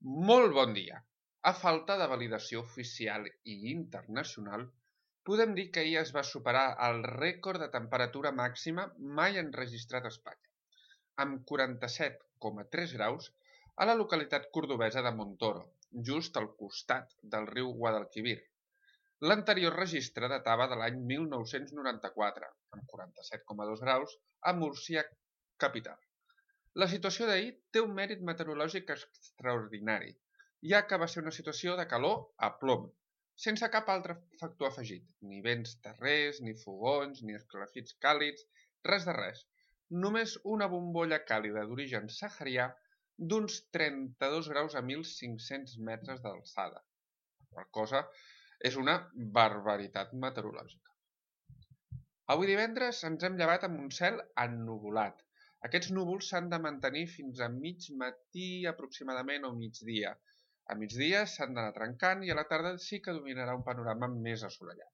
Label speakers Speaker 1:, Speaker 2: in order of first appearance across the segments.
Speaker 1: Molt bon dia! A falta de validació oficial i internacional, podem dir que ahir es va superar el rècord de temperatura màxima mai enregistrat a Espanya, amb 47,3 graus a la localitat cordobesa de Montoro, just al costat del riu Guadalquivir. L'anterior registre datava de l'any 1994, amb 47,2 graus a Múrcia capital. La situació d'ahir té un mèrit meteorològic extraordinari, ja que va ser una situació de calor a plom, sense cap altre factor afegit, ni vents terrers, ni fogons, ni esclafits càlids, res de res. Només una bombolla càlida d'origen saharià d'uns 32 graus a 1.500 metres d'alçada. La cosa és una barbaritat meteorològica. Avui divendres ens hem llevat amb un cel ennuvolat. Aquests núvols s'han de mantenir fins a mig matí aproximadament o migdia. A migdia s'han d'anar trencant i a la tarda sí que dominarà un panorama més assolellat.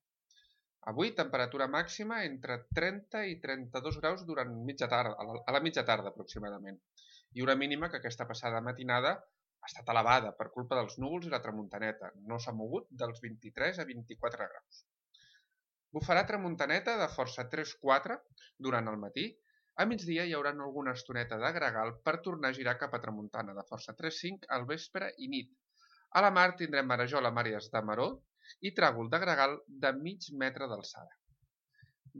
Speaker 1: Avui temperatura màxima entre 30 i 32 graus durant a la mitja tarda aproximadament. I una mínima que aquesta passada matinada ha estat elevada per culpa dels núvols i la tramuntaneta. No s'ha mogut dels 23 a 24 graus. Bufarà tramuntaneta de força 3-4 durant el matí. A migdia hi haurà alguna estoneta de gregal per tornar a girar cap a tramuntana de força 3-5 al vespre i nit. A la mar tindrem marejol a àrees de maror i tràgol de gregal de mig metre d'alçada.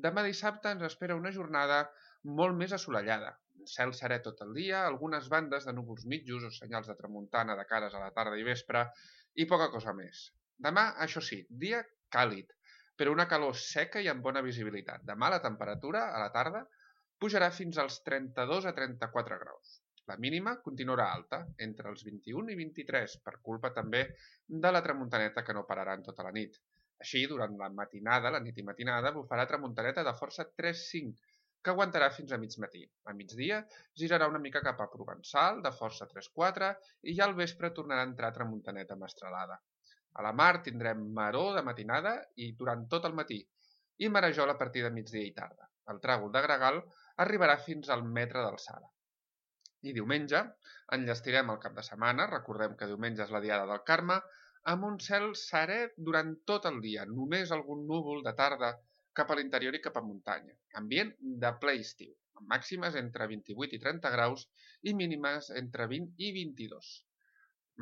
Speaker 1: Demà dissabte ens espera una jornada molt més assolellada. Cel serè tot el dia, algunes bandes de núvols mitjos o senyals de tramuntana de cares a la tarda i vespre i poca cosa més. Demà, això sí, dia càlid, però una calor seca i amb bona visibilitat. Demà la temperatura a la tarda pujarà fins als 32 a 34 graus. La mínima continuarà alta, entre els 21 i 23, per culpa també de la tramuntaneta que no pararà en tota la nit. Així, durant la nit i matinada, bufarà tramuntaneta de força 3-5, que aguantarà fins a mig matí. A migdia girarà una mica cap a Provençal, de força 3-4, i ja al vespre tornarà a entrar tramuntaneta mestralada. A la mar tindrem maror de matinada i durant tot el matí, i marejol a partir de migdia i tarda. El tràgol de gregal arribarà fins al metre d'alçada. I diumenge enllestirem el cap de setmana, recordem que diumenge és la diada del Carme, amb un cel serè durant tot el dia, només algun núvol de tarda cap a l'interior i cap a muntanya. Ambient de ple estiu, amb màximes entre 28 i 30 graus i mínimes entre 20 i 22.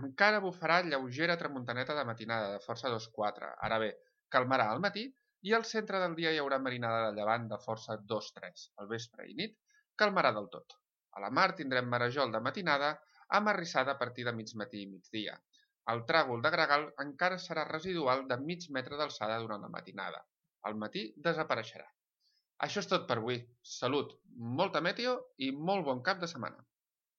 Speaker 1: Encara bufarà lleugera tramuntaneta de matinada de força 2-4. Ara bé, calmarà al matí i al centre del dia hi haurà marinada de llevant de força 2-3. Al vespre i nit calmarà del tot. A la mar tindrem marejol de matinada amb arrissada a partir de mig matí i migdia. El tràgol de gregal encara serà residual de mig metre d'alçada durant la matinada. Al matí desapareixerà. Això és tot per avui. Salut, molta meteo i molt bon cap de setmana.